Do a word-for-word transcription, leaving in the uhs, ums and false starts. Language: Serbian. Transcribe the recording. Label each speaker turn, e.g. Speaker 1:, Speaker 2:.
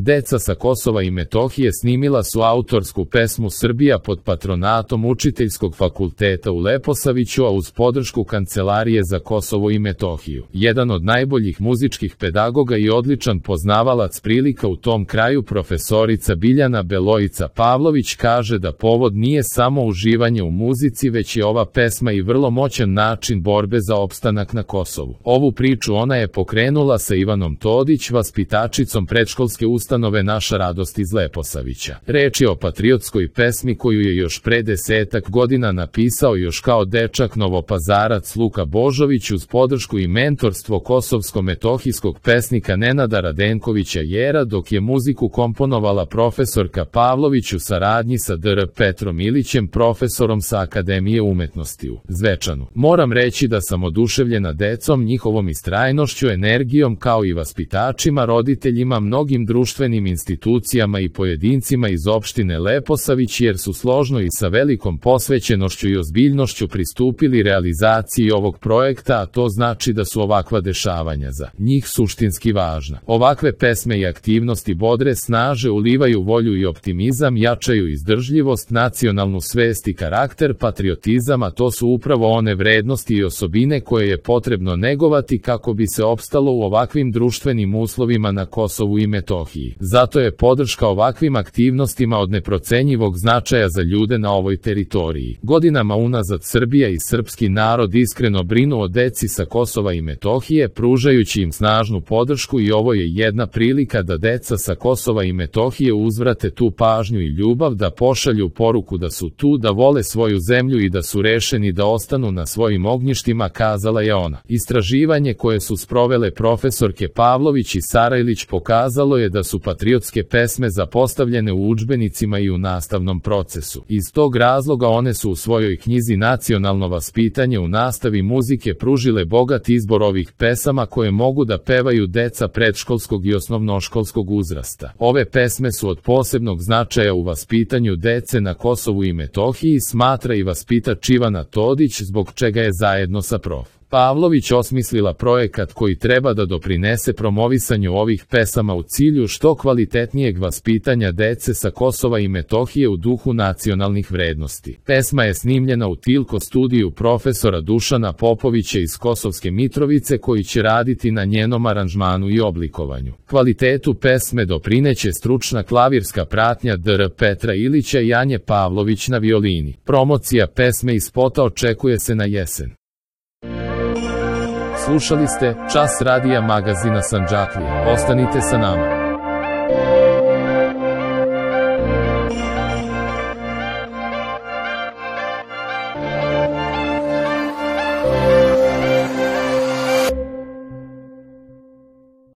Speaker 1: Deca sa Kosova i Metohije snimila su autorsku pesmu Srbija pod patronatom Učiteljskog fakulteta u Leposaviću, a uz podršku Kancelarije za Kosovo i Metohiju. Jedan od najboljih muzičkih pedagoga i odličan poznavalac prilika u tom kraju, profesorica Biljana Beloica Pavlović, kaže da povod nije samo uživanje u muzici, već je ova pesma i vrlo moćan način borbe za opstanak na Kosovu. Ovu priču ona je pokrenula sa Ivanom Todić, vaspitačicom predškolske ustanove Naša radost iz Leposavića. Reč je o patriotskoj pesmi koju je još pre desetak godina napisao još kao dečak Novopazarac Luka Božović uz podršku i mentorstvo kosovsko-metohijskog pesnika Nenada Radenkovića Jera, dok je muziku komponovala profesorka Pavlović u saradnji sa dr Petrom Ilićem, profesorom sa Akademije umetnosti u Zvečanu. Moram reći da sam oduševljena decom, njihovom istrajnošću, energijom, kao i vaspitačima, roditeljima, mnogim društvenim institucijama i pojedincima iz opštine Leposavić, jer su složno i sa velikom posvećenošću i ozbiljnošću pristupili realizaciji ovog projekta, a to znači da su ovakva dešavanja za njih suštinski važna. Ovakve pesme i aktivnosti bodre, snaže, ulivaju volju i optimizam, jačaju izdržljivost, nacionalnu svest i karakter, patriotizam, a to su upravo one vrednosti i osobine koje je potrebno negovati kako bi se opstalo u ovakvim društvenim uslovima na Kosovu i Metohiji. Zato je podrška ovakvim aktivnostima od neprocenjivog značaja za ljude na ovoj teritoriji. Godinama unazad Srbija i srpski narod iskreno brinu o deci sa Kosova i Metohije, pružajući im snažnu podršku, i ovo je jedna prilika da deca sa Kosova i Metohije uzvrate tu pažnju i ljubav, da pošalju poruku da su tu, da vole svoju zemlju i da su rešeni da ostanu na svojim ognjištima, kazala je ona. Istraživanje koje su sprovele profesorke Pavlović i Sarajlić pokazalo je da su patriotske pesme zapostavljene u udžbenicima i u nastavnom procesu. Iz tog razloga one su u svojoj knjizi Nacionalno vaspitanje u nastavi muzike pružile bogat izbor ovih pesama koje mogu da pevaju deca predškolskog i osnovnoškolskog uzrasta. Ove pesme su od posebnog značaja u vaspitanju dece na Kosovu i Metohiji, smatra i vaspitač Ivana Todić, zbog čega je zajedno sa prof. Pavlović osmislila projekat koji treba da doprinese promovisanju ovih pesama u cilju što kvalitetnijeg vaspitanja dece sa Kosova i Metohije u duhu nacionalnih vrednosti. Pesma je snimljena u Tilko studiju profesora Dušana Popovića iz Kosovske Mitrovice, koji će raditi na njenom aranžmanu i oblikovanju. Kvalitetu pesme doprineće stručna klavirska pratnja dr Petra Ilića i Anje Pavlović na violini. Promocija pesme i spota očekuje se na jesen. Slušali ste Čas radija magazina Sandžaklija. Ostanite sa nama.